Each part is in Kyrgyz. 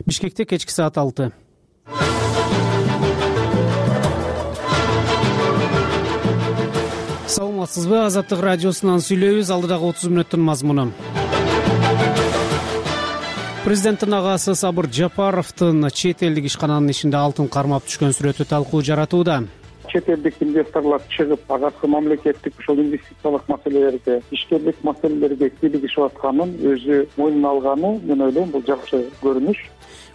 Бишкекте кечки саат 6. Саламатсызбы? Азаттык радиосунан сүйлөйбүз. Алдыдагы 30 мүнөттүн мазмуну. Президенттин агасы Сабыр Жапаровдун чет элдик ишкананын ишинде алтын кармап түшкөн сүрөтү талкуу жаратууда. Чет элдик инвесторлор чыгып, агасы мамлекеттик ушул инвестициялык маселелерге, ишкерлик маселелерге кийлигишип атканын өзү мойнуна алганы, мен ойлойм, бул жакшы көрүнүш.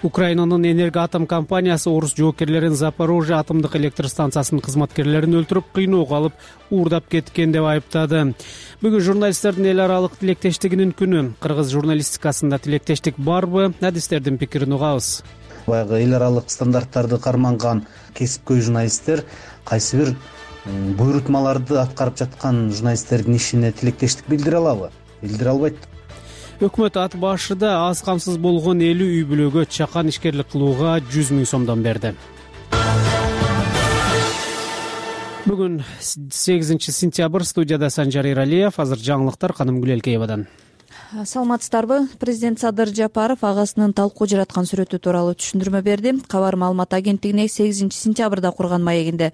Украинанын Энергоатом компаниясы орус жоокерлерин Запорожье атомдук электр станциясынын кызматкерлерин өлтүрүп, кыйноого алып, уурдап кеткен деп айыптады. Бүгүн журналисттердин эл аралык тилектештигинин күнү. Кыргыз журналистикасында тилектештик барбы? Адистердин пикирин угабыз. Баягы эл аралык стандарттарды карманган кесипкөй журналисттер кайсы бир буйрутмаларды аткарып жаткан журналисттердин ишине тилектештик билдире алабы? Билдире албайт. Өкмөт ат башыда аз камсыз болгон 50 үй бүлөгө чакан ишкерлик кылууга 100 000 сомдон берди. Бүгүн 8 сентябрь, студияда Санжар Иралиев. Азыр жаңылыктар Канымгүл Элкеевадан. Саламатсыздарбы? Президент Садыр Жапаров агасынын талкуу жараткан сүрөтү тууралуу түшүндүрмө берди. Кабар маалымат агенттигине 8 сентябрда курган маегинде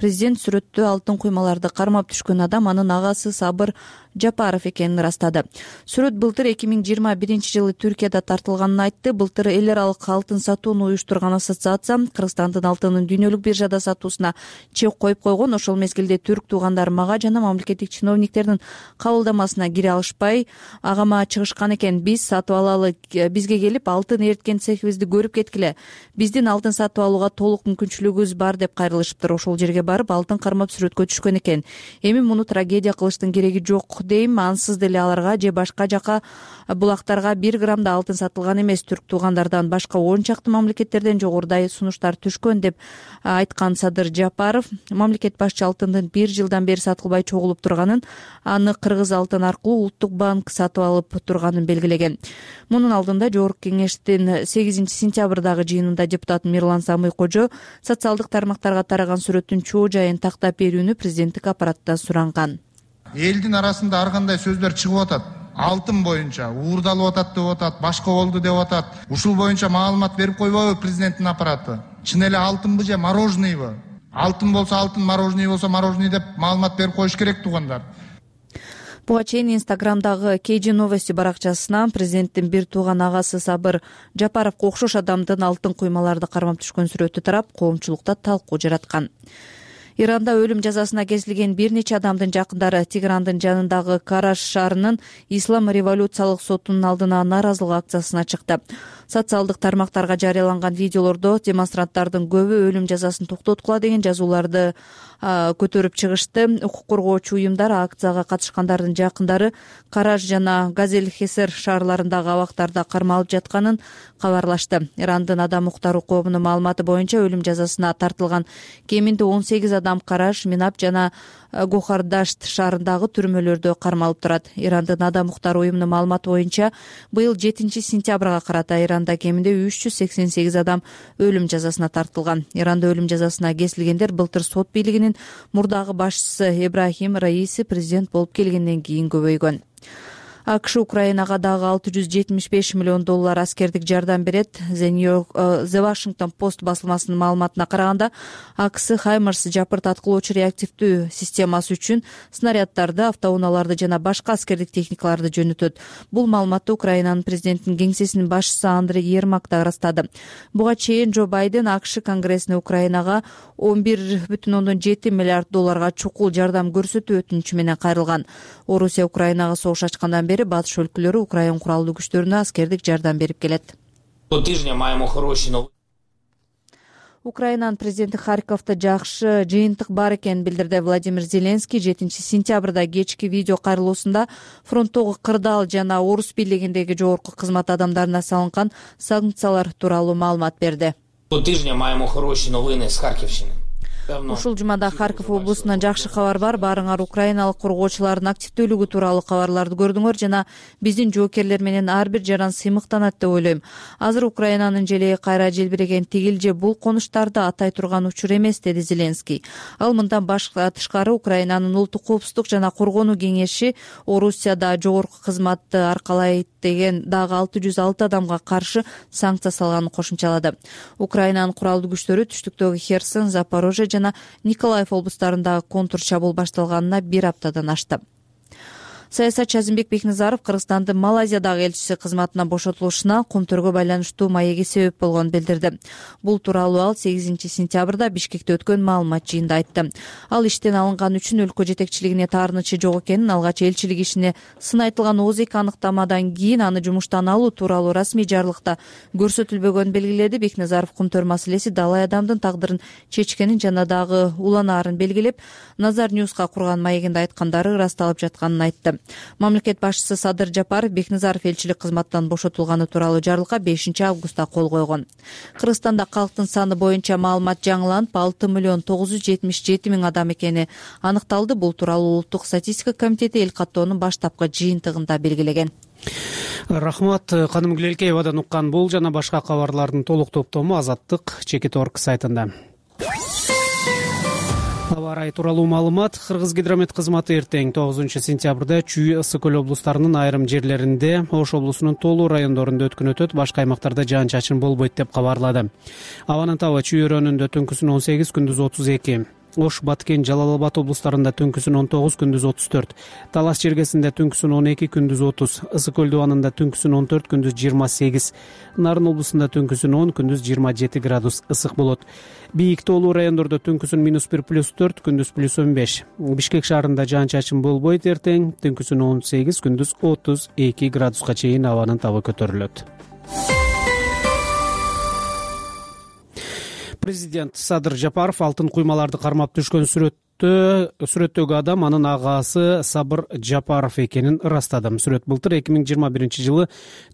президент сүрөттө алтын куймаларды кармап түшкөн адам анын агасы Сабыр Жапаров экенин ырастады. Сүрөт былтыр 2021-жылы Түркияда тартылганын айтты. Былтыр эл аралык алтын сатууну уюштурган ассоциация Кыргызстандын алтынын дүйнөлүк биржада сатуусуна чек коюп койгон. Ошол мезгилде түрк туугандар мага жана мамлекеттик чиновниктердин кабылдамасына кире алышпай, агама чыгышкан экен. Биз сатып алалы, бизге келип алтын эриткен цехибизди көрүп кеткиле. Биздин алтын сатып алууга толук мүмкүнчүлүгүбүз бар деп кайрылышыптыр. Ошол жерге барып алтын кармап сүрөткө түшкөн экен. Эми муну трагедия кылыштын кереги жок дейм. Ансыз деле аларга же башка жака булактарга 1 грамм да алтын сатылган эмес. Түрк туугандардан башка 10 чакты мамлекеттерден жогорудай сунуштар түшкөн деп айткан Садыр Жапаров, мамлекет башчы алтындын 1 жылдан бери сатылбай чогулуп турганын, аны Кыргыз алтын аркылуу Улуттук банк сатып алып турганын белгилеген. Мунун алдында Жогорку кеңештин 8 сентябрдагы жыйынында депутат Мирлан Самый-Кожо социалдык тармактарга тараган сүрөттүн чоо жайын тактап берүүнү президенттик аппараттан суранган. Элдин арасында ар кандай сөздөр чыгып атат. Алтын боюнча уурдалып атат деп атат, башка болду деп атат. Ушул боюнча маалымат берип койбойбу президенттин аппараты? Чын эле алтынбы же мороженныйбы? Алтын болсо алтын, мороженый болсо мороженый деп маалымат берип коюш керек туугандар. Буга чейин Инстаграмдагы KG Новости баракчасына президенттин бир тууган агасы Сабыр Жапаровго окшош адамдын алтын куймаларды кармап түшкөн сүрөтү тарап, коомчулукта талкуу жараткан. Иранда өлүм жазасына кесилген бир нече адамдын жакындары Теграндын жанындагы Караш шаарынын Ислам революциялык сотунун алдына нааразылык акциясына чыкты. Социалдык тармактарга жарыяланган видеолордо демонстранттардын көбү өлүм жазасын токтоткула деген жазууларды көтөрүп чыгышты. Укук коргоочу уюмдар акцияга катышкандардын жакындары Караш жана Газель-Хесер шаарларындагы абактарда кармалып жатканын кабарлашты. Ирандын адам укуктары коомунун маалыматы боюнча өлүм жазасына тартылган кеминде 18 адам Караш, Минап жана Гохардашт шаарындагы түрмөлөрдө кармалып турат. Ирандын адам укуктары уюмунун маалыматы боюнча быйыл 7 сентябрга карата Иранда кеминде 388 адам өлүм жазасына тартылган. Иранда өлүм жазасына кесилгендер былтыр сот бийлигинин мурдагы башчысы Ибрахим Раиси президент болуп келгенден кийин көбөйгөн. АКШ Украинага дагы $675 миллион аскердик жардам берет. The Washington Post басылмасынын маалыматына караганда, АКС Хаймарс жапырт аткылоочу реактивдүү системасы үчүн снаряддарды, автоунааларды жана башка аскердик техникаларды жөнөтөт. Бул маалыматты Украинанын президентинин кеңсесинин башчысы Андрей Ермак да ырастады. Буга чейин Джо Байден АКШ Конгрессине Украинага $11,7 миллиард чукул жардам көрсөтүү өтүнүчү менен кайрылган. Орусия Украинага согуш ачкандан бери батыш өлкөлөрү Украин куралдуу күчтөрүнө аскердик жардам берип келет. Украинанын президенти Харьковдо жакшы жыйынтык бар экенин билдирди. Владимир Зеленский 7 сентябрда кечки видео кайрылуусунда фронттогу кырдаал жана орус бийлигиндеги жогорку кызмат адамдарына салынган санкциялар тууралуу маалымат берди. Ушул жумада Харьков облусунан жакшы кабар бар. Баарыңар украиналык коргоочулардын активдүүлүгү тууралуу кабарларды көрдүңөр жана биздин жоокерлер менен ар бир жаран сыймыктанат деп ойлойм. Азыр Украинанын желеги кайра желбиреген тигил же бул конуштарды атай турган учур эмес, деди Зеленский. Ал мындан тышкары Украинанын улуттук коопсуздук жана коргонуу кеңеши Орусияда жогорку кызматты аркалайт деген дагы 606 адамга каршы санкция салганын кошумчалады. Украинанын куралдуу күчтөрү түштүктөгү Херсон, Запорожье жана Николаев облустарындагы контур чабуул башталганына 1 аптадан ашты. Саясатчы Азимбек Бекназаров Кыргызстандын Малайзиядагы элчиси кызматынан бошотулушуна Кумтөргө байланыштуу маеги себеп болгонун билдирди. Бул тууралуу ал 8 сентябрда Бишкекте өткөн маалымат жыйынында айтты. Ал иштен алынган үчүн өлкө жетекчилигине таарынычы жок экенин, алгач элчилик ишине сын айтылган ооз эки аныктамадан кийин аны жумуштан алуу тууралуу расмий жарлыкта көрсөтүлбөгөнүн белгиледи. Бекназаров Кумтөр маселеси далай адамдын тагдырын чечкенин жана дагы уланаарын белгилеп, Назар Ньюска курган маегинде айткандары ырасталып жатканын айтты. Мамлекет башчысы Садыр Жапаров Бекназаров элчилик кызматтан бошотулганы тууралуу жарлыкка 5 августта кол койгон. Кыргызстанда калктын саны боюнча маалымат жаңыланып 6.977.000 адам экени аныкталды. Бул тууралуу Улуттук статистика комитети эл каттоонун баштапкы жыйынтыгында белгилеген. Рахмат. Каным Гүлелкеевадан уккан бул жана башка кабарлардын толук топтому Азаттык Чекит.org сайтында. Аба ырайы тууралуу маалымат. Кыргыз гидромет кызматы эртең 9 сентябрда Чүй, Ысык көл облустарынын айрым жерлеринде, Ош облусунун толуу райондорунда өткөн өтөт, башка аймактарда жаан-чачын болбойт деп кабарлады. Абанын табы Чүй өрөөнүндө түнкүсүн 18, күндүз 32. Ош, Баткен, Жалал Абад облустарында түнкүсүн 19, күндүз 34. Талас чергесинде түнкүсүн 12, күндүз 30. Ысык көл дубанында түнкүсүн 14, күндүз 28. Нарын облусунда түнкүсүн 10, күндүз 27 градус ысык болот. Бийик тоолуу райондордо түнкүсүн -1 +4, күндүз +15. Бишкек шаарында жаан-чачын болбойт эртең, түнкүсүн 18, күндүз 32 градуска чейин абанын табы көтөрүлөт. Президент Садыр Жапаров алтын куймаларды кармап түшкөн сүрөттөгү адам анын агасы Сабыр Жапаров экенин ырастады. Сүрөт былтыр 2021 жылы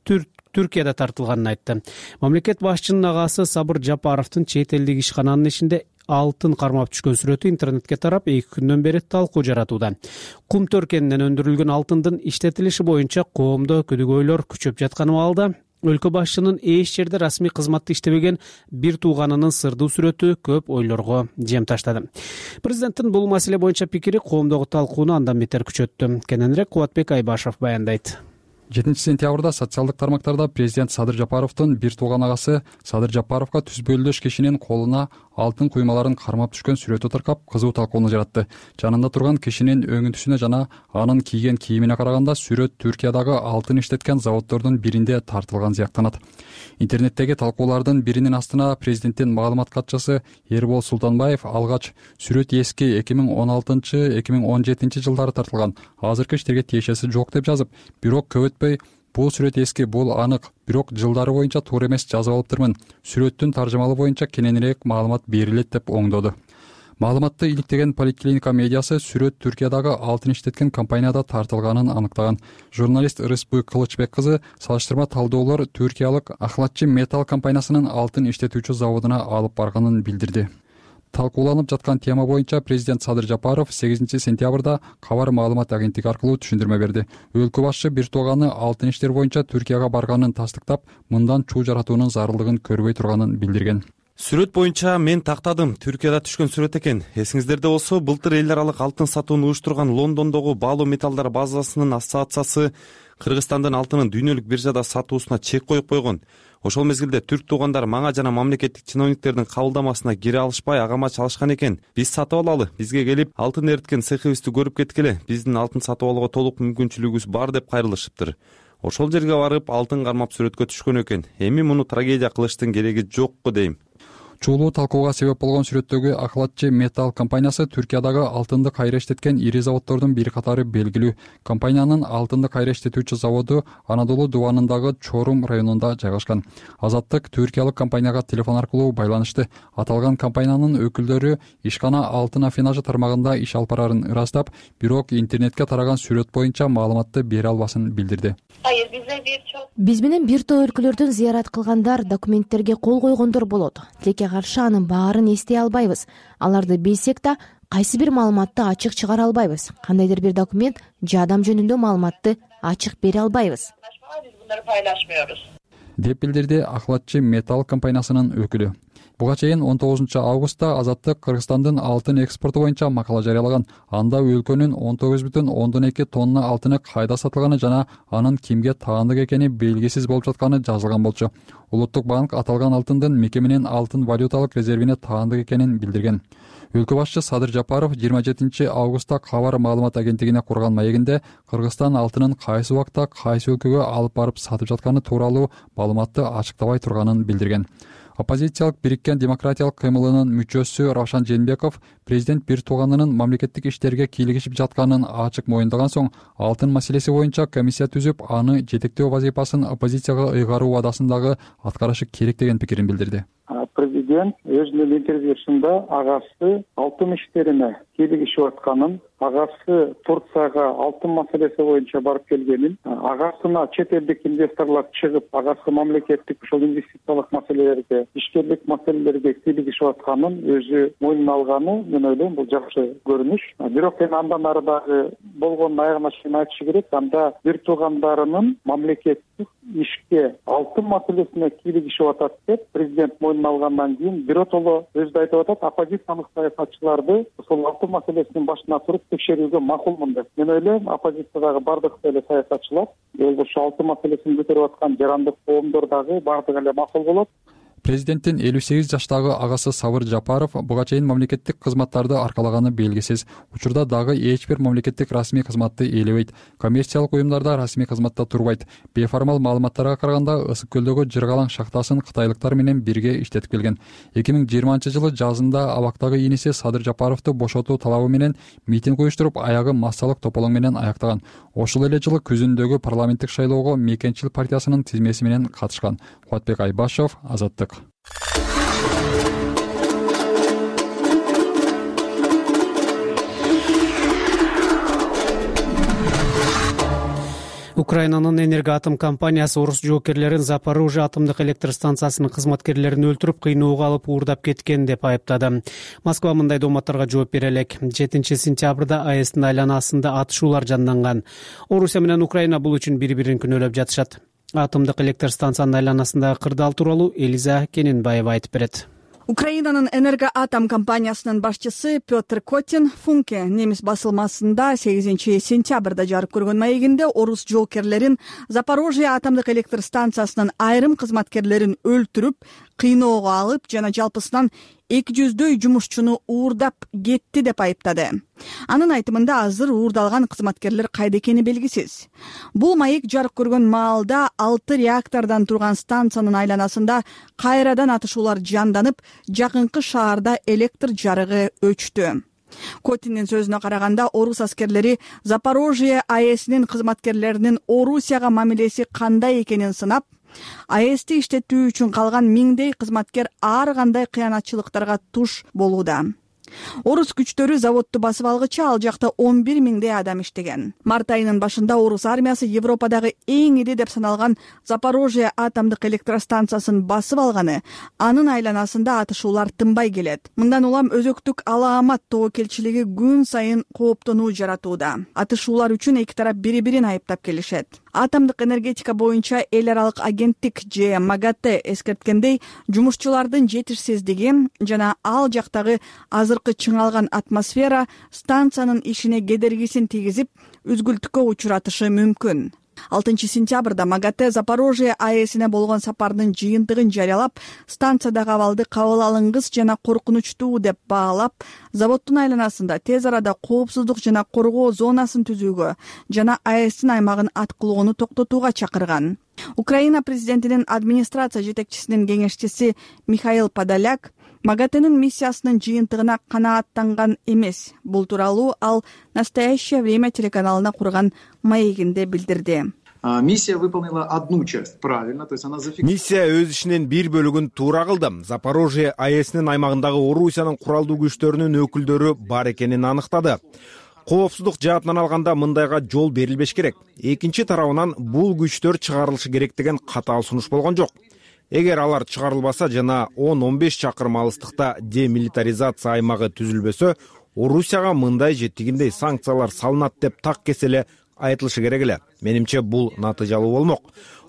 Түркияда тартылганын айтты. Мамлекет башчынын агасы Сабыр Жапаровдун чет элдик ишкананын ишинде алтын кармап түшкөн сүрөтү интернетке тарап 2 күндөн бери талкуу жаратууда. Кумтөр кенинен өндүрүлгөн алтындын иштетилиши боюнча коомдо күдүгөйлөр күчөп жаткан абалда өлкө башчынын эч жерде расмий кызматта иштебеген бир тууганынын сырдуу сүрөтү көп ойлорго жем таштады. Президенттин бул маселе боюнча пикири коомдогу талкууну андан бетер күчөттү. Кененирээк Кубатбек Айбашев баяндайт. 7 сентябрда социалдык тармактарда президент Садыр Жапаровдун бир тууган агасы Садыр Жапаровго түзбөлдөш кишинин колуна алтын куймаларын кармап түшкөн сүрөтү таркап кызуу талкууну жаратты. Жанында турган кишинин өңүнтүсүнө жана анын кийген кийимине караганда сүрөт Түркиядагы алтын иштеткен заводдордун биринде тартылган сыяктанат. Интернеттеги талкуулардын биринин астына президенттин маалымат катчысы Эрбол Султанбаев алгач сүрөт эски 2016-2017 жылдары тартылган, азыркы иштерге тиешеси жок деп жазып, бирок көп өтпөй бул сүрөт эски, бул анык, бирок жылдары боюнча туура эмес жазып алыптырмын. Сүрөттүн таржымалы боюнча кененирээк маалымат берилет деп оңдоду. Маалыматты иликтеген Поликлиника медиасы сүрөт Түркиядагы алтын иштеткен компанияда тартылганын аныктаган. Журналист Ырысбы Кылычбек кызы салыштырма талдоолор Түркиялык Ахлатчы металл компаниясынын алтын иштетүүчү заводуна алып барганын билдирди. Талкууланып жаткан тема боюнча президент Садыр Жапаров 8 сентябрда Кабар маалымат агенттиги аркылуу түшүндүрмө берди. Өлкө башчы бир тууганы алтын иштер боюнча Түркияга барганын тастыктап, мындан чуу жаратуунун зарылдыгын көрбөй турганын билдирген. Сүрөт боюнча мен тактадым. Түркияда түшкөн сүрөт экен. Эсиңиздерде болсо, былтыр эл аралык алтын сатууну уюштурган Лондондогу баалуу металлдар базасынын ассоциациясы Кыргызстандын алтынын дүйнөлүк биржада сатуусуна чек коюп койгон. Ошол мезгилде түрк туугандар мага жана мамлекеттик чиновниктердин кабылдамасына кире алышпай агама чалышкан экен. Биз сатып алалы, бизге келип алтын эриткен цехибизди көрүп кеткиле, биздин алтын сатып алууга толук мүмкүнчүлүгүбүз бар деп кайрылышыптыр. Ошол жерге барып алтын кармап сүрөткө түшкөн экен. Эми муну трагедия кылыштын кереги жокку дейм. Чуулуу талкууга себеп болгон сүрөттөгү Ахлатчы металл компаниясы Түркиядагы алтынды кайра иштеткен ири заводдордун бир катары белгилүү. Компаниянын алтынды кайра иштетүүчү заводу Анадолу дубанындагы Чорум районунда жайгашкан. Азаттык түркиялык компанияга телефон аркылуу байланышты. Аталган компаниянын өкүлдөрү ишкана алтын афинажы тармагында иш алып барарын ырастап, бирок интернетке тараган сүрөт боюнча маалыматты бере албасын билдирди. Биз менен бир топ өлкөлөрдөн зыярат кылгандар, документтерге кол койгондор болот. Тилекке эмнеге каршы анын баарын эстей албайбыз. Аларды билсек да кайсы бир маалыматты ачык чыгара албайбыз. Кандайдыр бир документ же адам жөнүндө маалыматты ачык бере албайбыз. деп билдирди Ахлатчы Металл компаниясынын өкүлү. Буга чейин 19 августта Азаттык Кыргызстандын алтын экспорту боюнча макала жарыялаган. Анда өлкөнүн 19,2 тонна алтыны кайда сатылганы жана анын кимге таандык экени белгисиз болуп жатканы жазылган болчу. Улуттук банк аталган алтындын мекеменин алтын валюталык резервине таандык экенин билдирген. Өлкө башчы Садыр Жапаров 27 августта Кабар маалымат агенттигине курган маегинде Кыргызстан алтынын кайсы убакта кайсы өлкөгө алып барып сатып жатканы тууралуу маалыматты ачыктабай турганын билдирген. Оппозициялык Бириккен демократиялык кыймылынын мүчөсү Равшан Женбеков президент бир тууганынын мамлекеттик иштерге кийлигишип жатканын ачык моюндаган соң алтын маселеси боюнча комиссия түзүп, аны жетектөө вазифасын оппозицияга ыйгаруу убадасын дагы аткарышы керек деген пикирин билдирди. Президент өзүнүн интервьюсунда агасы алтын иштерине кийлигишип атканын, агасы Турцияга алтын маселеси боюнча барып келгенин, агасына чет элдик инвесторлор чыгып, агасы мамлекеттик ушул инвестициялык маселелерге, ишкерлик маселелерге кийлигишип атканын өзү мойнуна алганы, мен ойлойм, бул жакшы көрүнүш. Бирок андан ары дагы болгонун аягына чейин айтышы керек. Анда бир туугандарынын мамлекеттик ишке алтын маселесине кийлигишип атат деп президент мойнуна алгандан кийин биротоло өзү айтып атат, оппозициялык саясатчыларды ушул алтын маселесинин башына туруп текшерүүгө макулмун деп. Мен ойлойм, оппозициядагы бардык эле саясатчылар, ошол алтын маселесин көтөрүп аткан жарандык коомдор дагы бардыгы эле макул болот. Президенттин 58 жаштагы агасы Сабыр Жапаров буга чейин мамлекеттик кызматтарды аркалаганы белгисиз. Учурда дагы эч бир мамлекеттик расмий кызматты ээлебейт. Коммерциялык уюмдарда расмий кызматта турбайт. Беформал маалыматтарга караганда Ысык көлдөгү Жыргалаң шахтасын кытайлыктар менен бирге иштетип келген. 2020-жылы жазында абактагы иниси Садыр Жапаровду бошотуу талабы менен митинг уюштуруп, аягы массалык тополоң менен аяктаган. Ошол эле жылы күзүндөгү парламенттик шайлоого Мекенчил партиясынын тизмеси менен катышкан. Кубатбек Айбашев, Азаттык. Украинанын Энергоатом компаниясы орус жоокерлерин Запорожье атомдук электр станциясынын кызматкерлерин өлтүрүп, кыйноого алып уурдап кеткен деп айыптады. Москва мындай дооматтарга жооп бере элек. 7-сентябрда АЭСтин айланасында атышуулар жанданган. Орусия менен Украина бул үчүн бири-бирин күнөөлөп жатышат. Атомдук электр станциянын айланасындагы кырдаал тууралуу Элиза Кененбаева айтып берет. Украинанын Энергоатом компаниясынын башчысы Петр Котин Функе немис басылмасында 8 сентябрда жарык көргөн маегинде орус жоокерлерин Запорожье атомдук электр станциясынын айрым кызматкерлерин өлтүрүп, кыйноого алып жана жалпысынан 200дөй жумушчуну уурдап кетти деп айыптады. Анын айтымында азыр уурдалган кызматкерлер кайда экени белгисиз. Бул маек жарык көргөн маалда 6 реактордон турган станциянын айланасында кайрадан атышуулар жанданып, жакынкы шаарда электр жарыгы өчтү. Котиндин сөзүнө караганда, орус аскерлери Запорожье АЭСинин кызматкерлеринин Орусияга мамилеси кандай экенин сынап, АЭСти иштетүү үчүн калган миңдей кызматкер ар кандай кыянатчылыктарга туш болууда. Орус күчтөрү заводду басып алгыча ал жакта 11 миңдей адам иштеген. Март айынын башында орус армиясы Европадагы эң ири деп саналган Запорожье атомдук электростанциясын басып алганы, анын айланасында атышуулар тынбай келет. Мындан улам өзөктүк Алаамат тобокелчилиги күн сайын кооптонуу жаратууда. Атышуулар үчүн эки тарап бири-бирин айыптап келишет. Атомдук энергетика боюнча эл аралык агенттик же МАГАТЭ эскерткендей, жумушчулардын жетишсиздиги жана ал жактагы азыркы чыңалган атмосфера станциянын ишине кедергисин тийгизип, үзгүлтүккө учуратышы мүмкүн. 6 сентябрда МАГАТЭ Запорожье АЭСине болгон сапардын жыйынтыгын жарыялап, станциядагы абалды кабыл алынгыс жана коркунучтуу деп баалап, заводдун айланасында тез арада коопсуздук жана коргоо зонасын түзүүгө жана АЭСтин аймагын аткылоону токтотууга чакырган. Украина президентинин администрация жетекчисинин кеңешчиси Михаил Подоляк МАГАТЭнин миссиясынын жыйынтыгына канааттанган эмес. Бул тууралуу ал «Настоящее время» телеканалына курган маегинде билдирди. Миссия выполнила одну часть правильно, то есть она зафиксировала. Миссия өз ишинин бир бөлүгүн туура кылды. Запорожье АЭСинин аймагындагы Орусиянын куралдуу күчтөрүнүн өкүлдөрү бар экенин аныктады. Коопсуздук жаатынан алганда мындайга жол берилбеш керек. Экинчи тарабынан бул күчтөр чыгарылышы керек деген катаал сунуш болгон жок. эгер алар чыгарылбаса жана 10-15 чакырым алыстыкта демилитаризация аймагы түзүлбөсө, Орусияга мындай же тигиндей санкциялар салынат деп так кеселе айтылышы керек эле. Менимче бул натыйжалуу болмок.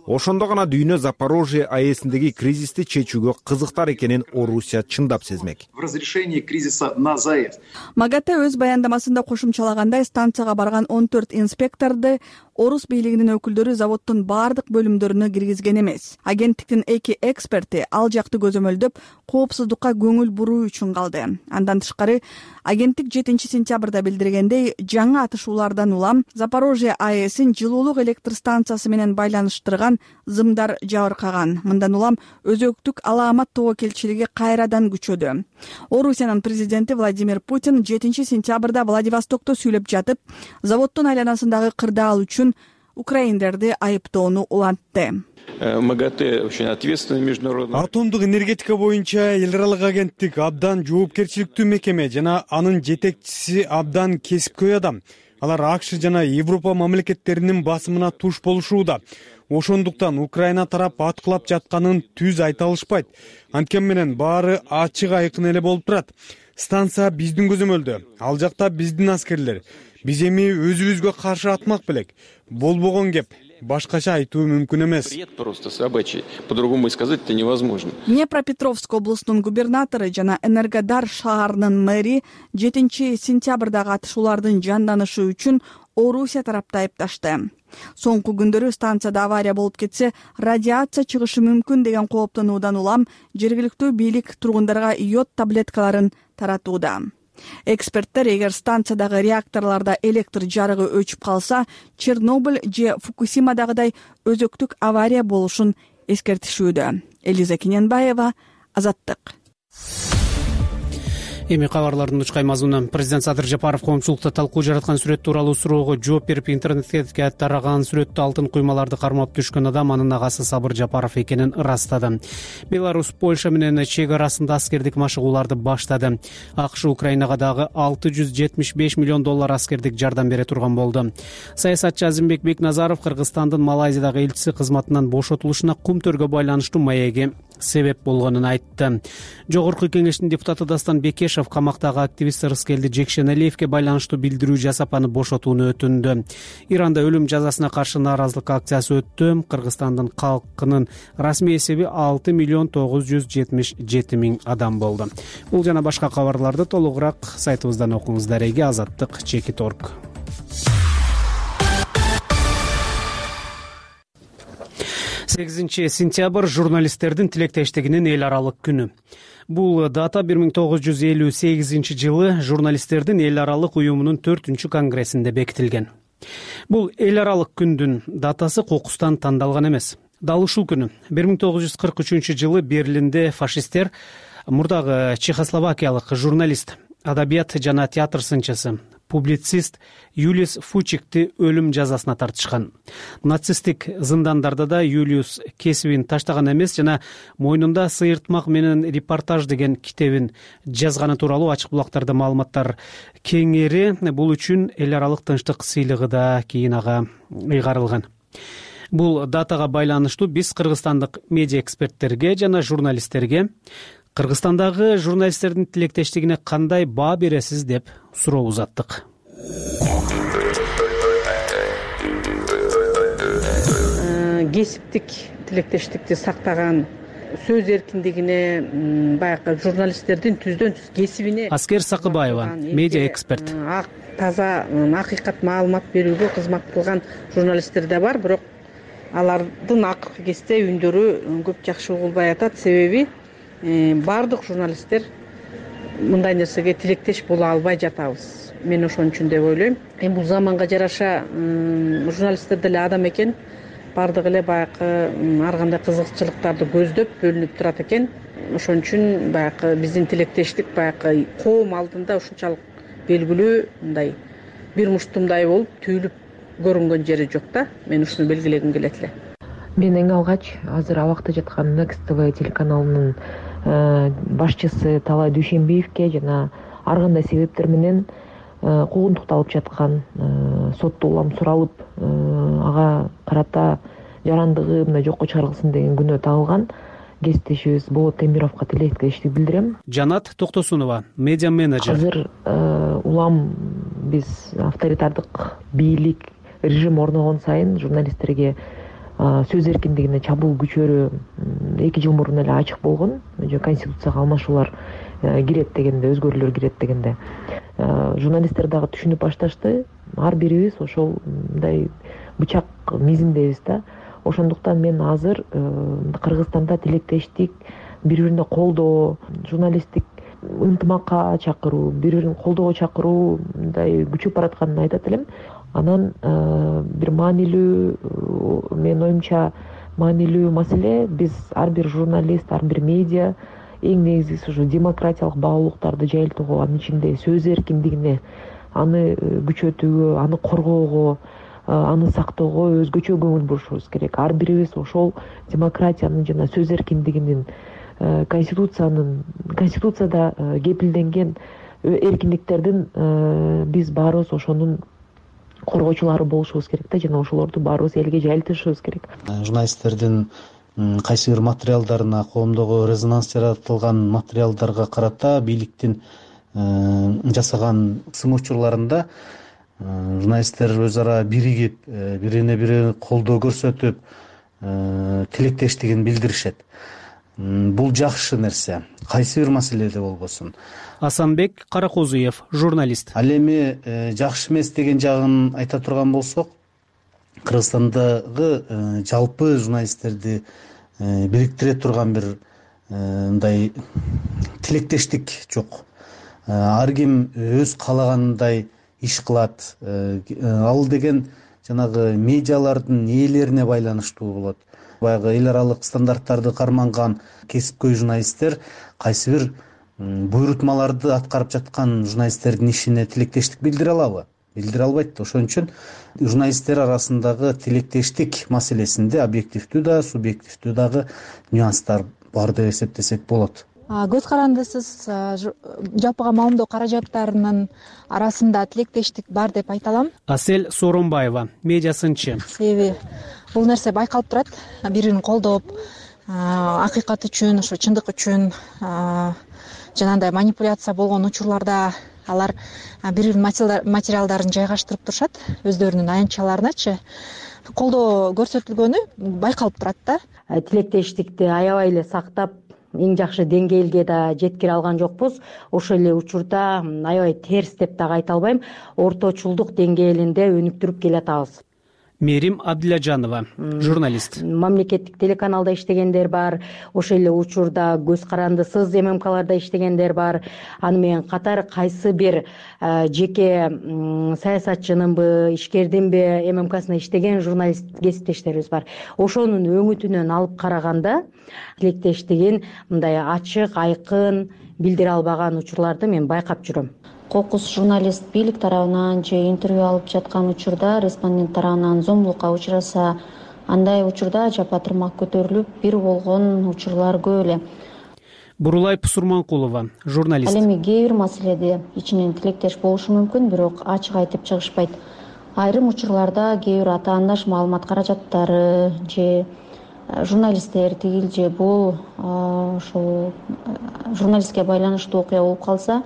Ошондо гана дүйнө Запорожье АЭСиндеги кризисти чечүүгө кызыктар экенин Орусия чындап сезмек. В разрешении кризиса на ЗАЭС. МАГАТЭ өз баяндамасында кошумчалагандай, станцияга барган 14 инспекторду орус бийлигинин өкүлдөрү заводдун баардык бөлүмдөрүнө киргизген эмес. Агенттиктин 2 эксперти ал жакты көзөмөлдөп, коопсуздукка көңүл буруу үчүн калды. Андан тышкары, агенттик 7-сентябрда билдиргендей, жаңы атышуулардан улам Запорожье АЭСин жылуулук электр станциясы менен байланыштырган зымдар жабыркаган. Мындан улам өзөктүк алаамат тобокелчилиги кайрадан күчөдү. Орусиянын президенти Владимир Путин 7-сентябрда Владивостокто сүйлөп жатып, заводдун айланасындагы кырдаал үчүн украиндерди айыптоону улантты. МАГАТЭ очень ответственный международный. Атомдук энергетика боюнча эл аралык агенттик абдан жоопкерчиликтүү мекеме жана анын жетекчиси абдан кесипкөй адам. Алар АКШ жана Европа мамлекеттеринин басымына туш болушууда. Ошондуктан Украина тарап аткылап жатканын түз айта алышпайт. Анткени менен баары ачык айкын эле болуп турат. Станция биздин көзөмөлдө, ал жакта биздин аскерлер. Биз эми өзүбүзгө каршы атмак белек. Болбогон кеп, башкача айтуу мүмкүн эмес. Просто собачий, по-другому сказать это невозможно. Днепропетровск облусунун губернатору жана Энергодар шаарынын мэри 7-сентябрдагы атышуулардын жанданышы үчүн Орусия тарапты айыпташты. Соңку күндөрү станцияда авария болуп кетсе, радиация чыгышы мүмкүн деген кооптонуудан улам жергиликтүү бийлик тургундарга йод таблеткаларын таратууда. Эксперттер эгер станциядагы реакторлордо электр жарыгы өчүп калса, Чернобыль же Фукусимадагыдай өзөктүк авария болушун эскертишүүдө. Элиза Кененбаева, Азаттык. Эми кабарлардын учкай мазмуну. Президент Садыр Жапаров коомчулукта талкуу жараткан сүрөт тууралуу суроого жооп берип, интернетке тараган сүрөттө алтын куймаларды кармап түшкөн адам анын агасы Сабыр Жапаров экенин ырастады. Беларусь Польша менен чек арасында аскердик машыгууларды баштады. АКШ Украинага дагы $675 миллион аскердик жардам бере турган болду. Саясатчы Азимбек Бекназаров Кыргызстандын Малайзиядагы элчиси кызматынан бошотулушуна кумтөргө байланыштуу маеги себеп болгонун айтты. Жогорку кеңештин депутаты Дастан Бекешев камактагы активист Рыскелди Жекшеналиевке байланыштуу билдирүү жасап, аны бошотууну өтүндү. Иранда өлүм жазасына каршы нааразылык акциясы өттү. Кыргызстандын калкынын расмий эсеби 6,977,000 адам болду. Бул жана башка кабарларды толугураак сайтыбыздан окуңуз. Дареги Азаттык.org. 8 сентябрь журналисттердин тилектештигинин эл аралык күнү. Бул дата 1958 жылы журналисттердин эл аралык уюмунун 4-чү конгрессинде бекитилген. Бул эл аралык күндүн датасы кокустан тандалган эмес. Дал ушул күнү 1943 жылы Берлинде фашисттер мурдагы чехословакиялык журналист, адабият жана театр сынчысы, публицист Юлиус Фучикти өлүм жазасына тартышкан. Нацисттик зындандарда да Юлиус кесибин таштаган эмес жана мойнунда сыйыртмак менен репортаж деген китебин жазганы тууралуу ачык булактарда маалыматтар кеңири. Бул үчүн эл аралык тынчтык сыйлыгы да кийин ага ыйгарылган. Бул датага байланыштуу биз кыргызстандык медиа эксперттерге жана журналисттерге Кыргызстандагы журналисттердин тилектештигине кандай баа бересиз деп суроо узаттык. Кесиптик тилектештикти сактаган, сөз эркиндигине, баягы журналисттердин түздөн түз кесибине. Аскер Сакыбаева, медиа эксперт. Таза акыйкат маалымат берүүгө кызмат кылган журналисттер да бар, бирок алардын акыркы кезде үндөрү көп жакшы угулбай атат. Себеби баардык журналисттер мындай нерсеге тилектеш боло албай жатабыз. Мен ошон үчүн деп ойлойм. Бул заманга жараша журналисттер деле адам экен. Баардык эле баягы ар кандай кызыкчылыктарды көздөп бөлүнүп турат экен. Ошон үчүн баягы биздин тилектештик баягы коом алдында ушунчалык белгилүү мындай бир муштумдай болуп түйүлүп көрүнгөн жери жок да. Мен ушуну белгилегим келет эле. Мен эң алгач азыр абакта жаткан Next TV телеканалынын башчысы Талай Дүйшенбиевке жана ар кандай себептер менен куугунтукталып жаткан, сотто улам суралып, ага карата жарандыгы мына жокко чыгарылсын деген күнөө тагылган кесиптешибиз Болот Темировго тилектештик билдирем. Жанат Токтосунова, медиа менеджер. Азыр улам биз авторитардык бийлик режим орногон сайын журналисттерге сөз эркиндигине чабуул күчөрү 2 жыл мурун эле ачык болгон. Конституцияга алмашуулар кирет дегенде, өзгөрүүлөр кирет дегенде журналисттер дагы түшүнүп башташты. Ар бирибиз ошол мындай бычак мизиндебиз да. Ошондуктан мен азыр Кыргызстанда тилектештик, бири-бирине колдоо, журналисттик ынтымакка чакыруу, бири-бирин колдоого чакыруу мындай күчөп баратканын айтат элем. Анан бир маанилүү, менин оюмча маанилүү маселе, биз ар бир журналист, ар бир медиа эң негизгиси ушу демократиялык баалуулуктарды жайылтууга, анын ичинде сөз эркиндигине, аны күчөтүүгө, аны коргоого, аны сактоого өзгөчө көңүл бурушубуз керек. Ар бирибиз ошол демократиянын жана сөз эркиндигинин, конституцияда кепилденген эркиндиктердин биз баарыбыз ошонун коргоочулары болушубуз керек да, жана ошолорду баарыбыз элге жайылтышыбыз керек. Журналисттердин кайсы бир материалдарына, коомдогу резонанс жаратылган материалдарга карата бийликтин жасаган сын учурларында журналисттер өз ара биригип, бирине бири колдоо көрсөтүп, тилектештигин билдиришет. Бул жакшы нерсе, кайсы бир маселеде болбосун. Асанбек Каракозуев, журналист. Ал эми жакшы эмес деген жагын айта турган болсок, Кыргызстандагы жалпы журналисттерди бириктире турган бир мындай тилектештик жок. Ар ким өз каалагандай иш кылат. Ал деген жанагы медиалардын ээлерине байланыштуу болот. Баягы эл аралык стандарттарды карманган кесипкөй журналисттер кайсы бир буйрутмаларды аткарып жаткан журналисттердин ишине тилектештик билдире алабы? Билдире албайт. Ошон үчүн журналисттер арасындагы тилектештик маселесинде объективдүү да, субъективдүү дагы нюанстар бар деп эсептесек болот. Көз карандысыз жалпыга маалымдоо каражаттарынын арасында тилектештик бар деп айта алам. Асель Сооронбаева, медиасынчы. Себеби бул нерсе байкалып турат. Бири-бирин колдоп, акыйкат үчүн, ошо чындык үчүн жанагындай манипуляция болгон учурларда алар бири-биринин материалдарын жайгаштырып турушат, өздөрүнүн аянтчаларыначы. Колдоо көрсөтүлгөнү байкалып турат да. Тилектештикти аябай эле сактап, эң жакшы деңгээлге да жеткире алган жокпуз. Ошол эле учурда аябай терс деп дагы айта албайм, орточулдук деңгээлинде өнүктүрүп келатабыз. Мерим Абдилажанова, журналист. Мамлекеттик телеканалда иштегендер бар, ошол эле учурда көз карандысыз ММКларда иштегендер бар. Аны менен катар кайсы бир жеке саясатчынынбы, ишкердинби ММКсына иштеген журналист кесиптештерибиз бар. Ошонун өңүтүнөн алып караганда тилектештигин мындай ачык, айкын билдире албаган учурларды мен байкап жүрөм. Кокус журналист бийлик тарабынан же интервью алып жаткан учурда респондент тарабынан зомбулукка учураса, андай учурда жапа тырмак көтөрүлүп бир болгон учурлар көп эле. Бурулай Пусурманкулова, журналист. Ал эми кээ бир маселеде ичинен тилектеш болушу мүмкүн, бирок ачык айтып чыгышпайт. Айрым учурларда кээ бир атаандаш маалымат каражаттары же журналисттер тигил же бул ошол журналистке байланыштуу окуя болуп калса,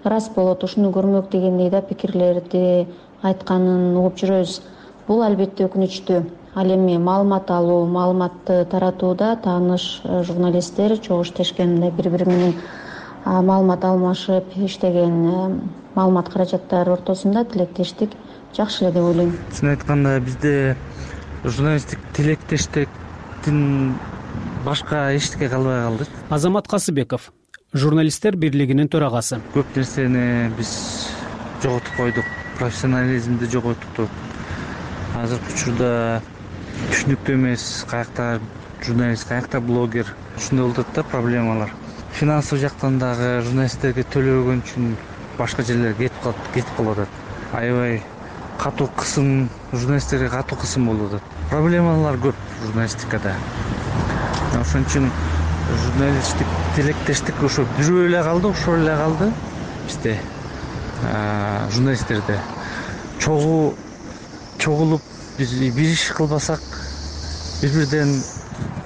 рас болот, ушуну көрмөк дегендей да пикирлерди айтканын угуп жүрөбүз. Бул албетте өкүнүчтүү. Ал эми маалымат алуу, маалыматты таратууда тааныш журналисттер чогуу иштешкен, бири-бири менен маалымат алмашып иштеген маалымат каражаттары ортосунда тилектештик жакшы эле деп ойлойм. Чын айтканда бизде журналисттик тилектештиктин башка эчтеке калбай калды. Азамат Касыбеков, журналисттер бирлигинин төрагасы. Көп нерсени биз жоготуп койдук, профессионализмди жоготтук. Азыркы учурда түшүнүктүү эмес, каякта журналист, каякта блогер, ушундай болуп атат да проблемалар. Финансылык жактан дагы журналисттерге төлөбөгөн үчүн башка жерлерге кетип калып атат. Аябай катуу кысым, журналисттерге катуу кысым болуп атат. Проблемалар көп журналистикада. Ошон үчүн журналисттик тилектештик ошо жүрүп эле калды, ошол эле калды бизде. Журналисттерде чогулуп биз бир иш кылбасак, бири-бирден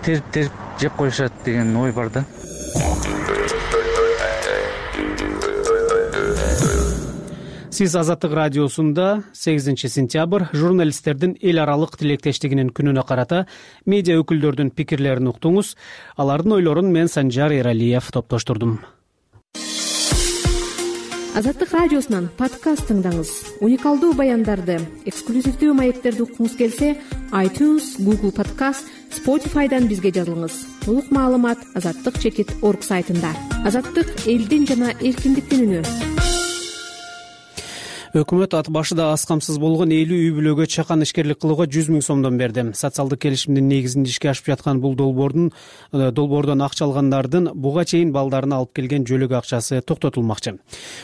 терип жеп коюшат деген ой бар да. Сиз Азаттык радиосунда 8 сентябрь журналисттердин эл аралык тилектештигинин күнүнө карата медиа өкүлдөрдүн пикирлерин уктуңуз. Алардын ойлорун мен Санжар Эралиев топтоштурдум. Азаттык радиосунан подкаст тыңдаңыз. Уникалдуу баяндарды, эксклюзивдүү маектерди уккуңуз келсе, iTunes, Google Podcast, Spotify'дан бизге жазылыңыз. Толук маалымат azattik.org сайтында. Азаттык — элдин жана эркиндиктин үнү. Өкмөт ат башыда аз камсыз болгон 50 үй бүлөгө чакан ишкерлик кылууга 100 000 сомдон берди. Социалдык келишимдин негизинде ишке ашып жаткан бул долбоордон акча алгандардын буга чейин балдарына алып келген жөлөк акчасы токтотулмакчы.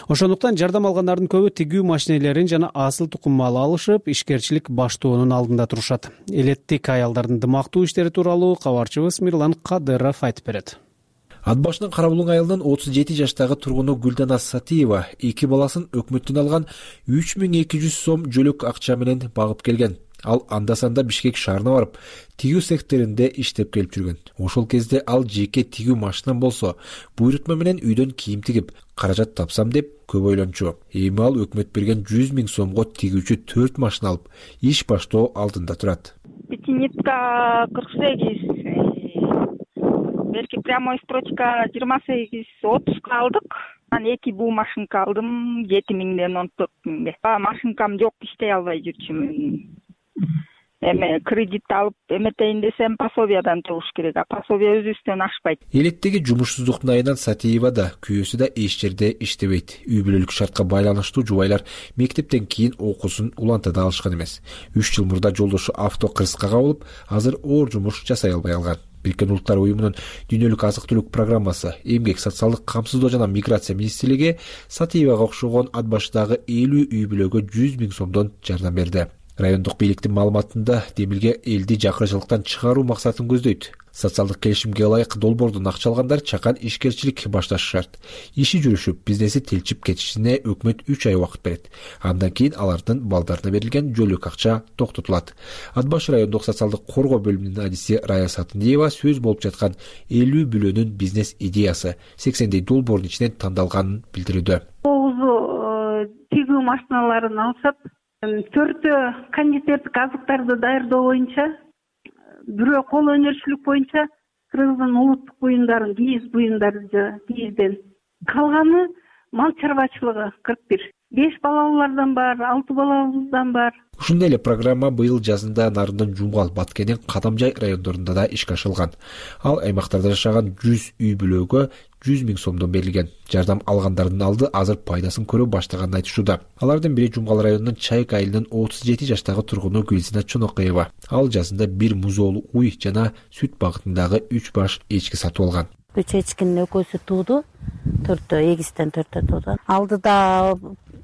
Ошондуктан жардам алгандардын көбү тигүү машинелерин жана асыл тукум мал алышып, ишкерчилик баштоонун алдында турушат. Элеттик аялдардын дымактуу иштери тууралуу кабарчыбыз Мирлан Кадыров айтып берет. Ат башынын Карабулуң айылынын 37 жаштагы тургуну Гүлдана Сатиева 2 баласын өкмөттөн алган 3200 сом жөлөк акча менен багып келген. Ал анда-санда Бишкек шаарына барып, тигүү секторунда иштеп келип жүргөн. Ошол кезде ал жеке тигүү машинам болсо, буйрутма менен үйдөн кийим тигип, каражат тапсам деп көп ойлончу. Эми ал өкмөт берген 100 000 сомго тигүүчү 4 машина алып, иш баштоо алдында турат. Пятинитка 48, берки прямой строчка 28-30 алдык. Анан 2 буу машинка алдым 7000ден 14000ге. Машинкам жок, иштей албай жүрчүмүн. Эме кредит алып эметейин десем пособиядан туруш керек. Пособия өзүбүздөн ашпайт. Элеттеги жумушсуздуктун айынан Сатиева да, күйөөсү да эч жерде иштебейт. Үй бүлөлүк шартка байланыштуу жубайлар мектептен кийин окуусун улантада алышкан эмес. 3 жыл мурда жолдошу авто кырсыкка кабылып, азыр оор жумуш жасай албай калган. Бириккен Улуттар уюмунун дүйнөлүк азык-түлүк программасы, эмгек, социалдык камсыздоо жана миграция министрлиги Сатиевага окшогон ат башыдагы 50 үй бүлөгө 100 000 сомдон жардам берди. Райондук бийликтин маалыматында демилге элди жакырчылыктан чыгаруу максатын көздөйт. Социалдык келишимге ылайык долбоордон акча алгандар чакан ишкерчилик башташы шарт. Иши жүрүшүп, бизнеси тилчип кетишине өкмөт 3 ай убакыт берет. Андан кийин алардын балдарына берилген жөлөк акча токтотулат. Ат башы райондук социалдык коргоо бөлүмүнүн адиси Рая Сатындиева сөз болуп жаткан 50 бүлөнүн бизнес идеясы 80 долбоордун ичинен тандалганын билдирүүдө. 9 тигүү машиналарын алышат. 4 кондитердик азыктарды даярдоо боюнча, бирөө кол өнөрчүлүк боюнча Кыргыздын улуттук буюмдарын, кийиз буюмдары кийизден. Калганы мал чарбачылыгы 41. 5 балалуулардан бар, 6 балалуудан бар. Ушундай эле программа быйыл жазында Нарындын, Жумгал, Баткендин, Кадамжай райондорунда да ишке ашырылган. Ал аймактарда жашаган 100 үй бүлөгө 100 000 сомдон берилген. Жардам алгандардын алды азыр пайдасын көрө баштаганын айтышууда. Алардын бири Жумгал районунун Чайык айылынын 37 жаштагы тургуну Гүлзина Чонокаева. Ал жазында 1 музоолу уй жана сүт багытындагы 3 баш эчки сатып алган. 3 эчкинин экөөсү тууду, 4 эгистен 4 тууду. Алдыда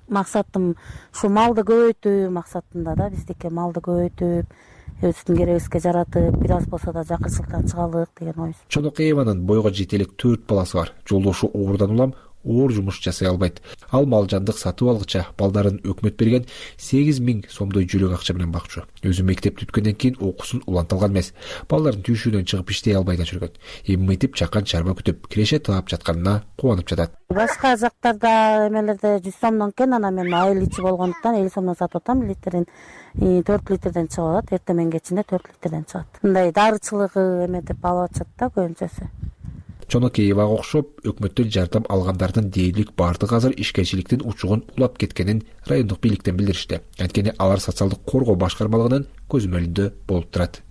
максатым ушу малды көбөйтүү максатында да, биздики малды көбөйтүп, өзүбүздүн керегибизге жаратып, бир аз болсо да жакырчылыктан чыгалык деген ой. Чонокаеванын бойго жетелик 4 баласы бар. Жолдошу оорудан улам оор жумуш жасай албайт. Ал мал жандык сатып алгыча балдарын өкмөт берген 8 000 сомдой жөлөк акча менен бакчу. Өзү мектепти бүткөндөн кийин окуусун уланта алган эмес. Балдарын түйшүүдөн чыгып иштей албай да жүргөн. Эми мынтип чакан чарба күтүп, киреше таап жатканына кубанып жатат. Башка жактарда эмелерде 100 сомдон экен, анан мен айыл ичи болгондуктан 50 сомдон сатып атам. Литрин 4 литрден чыгып атат, эртең менен кечинде 4 литрден чыгат. Мындай дарычылыгы эметип алып атышат да көбүнчөсү. Чонокеевага окшоп, өкмөттөн жардам алгандардын дээрлик бардыгы азыр ишкерчиликтин учугун улап кеткенин райондук бийликтен билдиришти. Анткени алар социалдык коргоо башкармалыгынын көзөмөлүндө болуп турат.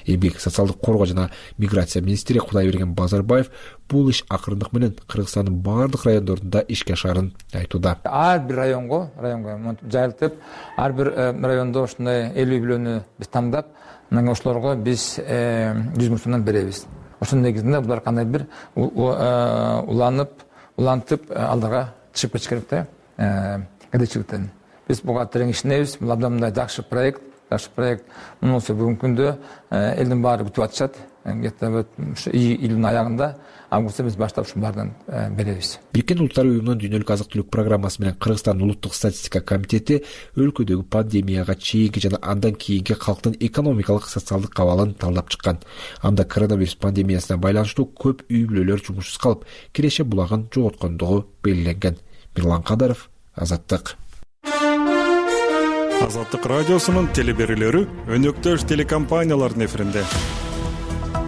Эмгек, социалдык коргоо жана миграция министри Кудайберген Базарбаев бул иш акырындык менен Кыргызстандын бардык райондорунда ишке ашарын айтууда. Ар бир районго жайылтып, ар бир райондо ушундай 50 бүлөнү биз тандап, мына ошолорго биз 100 000 сомдон беребиз. Ошонун негизинде булар кандай бир улантып алдыга чыгып кетиш керек да, кедейчиликтен. Биз буга терең ишенебиз. Бул абдан мындай жакшы проект, жакшы проект. Мунусу бүгүнкү күндө элдин баары күтүп атышат. Где то вот июлдун аягында, августта биз баштап ушунун баарынан беребиз. Бириккен Улуттар уюмунун дүйнөлүк азык-түлүк программасы менен Кыргызстандын улуттук статистика комитети өлкөдөгү пандемияга чейинки жана андан кийинки калктын экономикалык социалдык абалын талдап чыккан. Анда коронавирус пандемиясына байланыштуу көп үй бүлөлөр жумушсуз калып, киреше булагын жоготкондугу белгиленген. Мирлан Кадаров, Азаттык. Азаттык радиосунун телеберүүлөрү өнөктөш телекомпаниялардын эфиринде.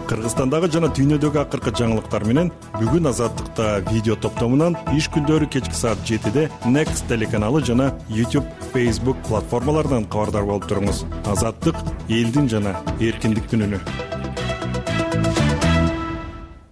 Кыргызстандагы жана дүйнөдөгү акыркы жаңылыктар менен бүгүн Азаттыкта видео топтомунан иш күндөрү кечки саат 7-де Next телеканалы жана YouTube, Facebook платформаларынан кабардар болуп туруңуз. Азаттык элдин жана эркиндиктин үнү.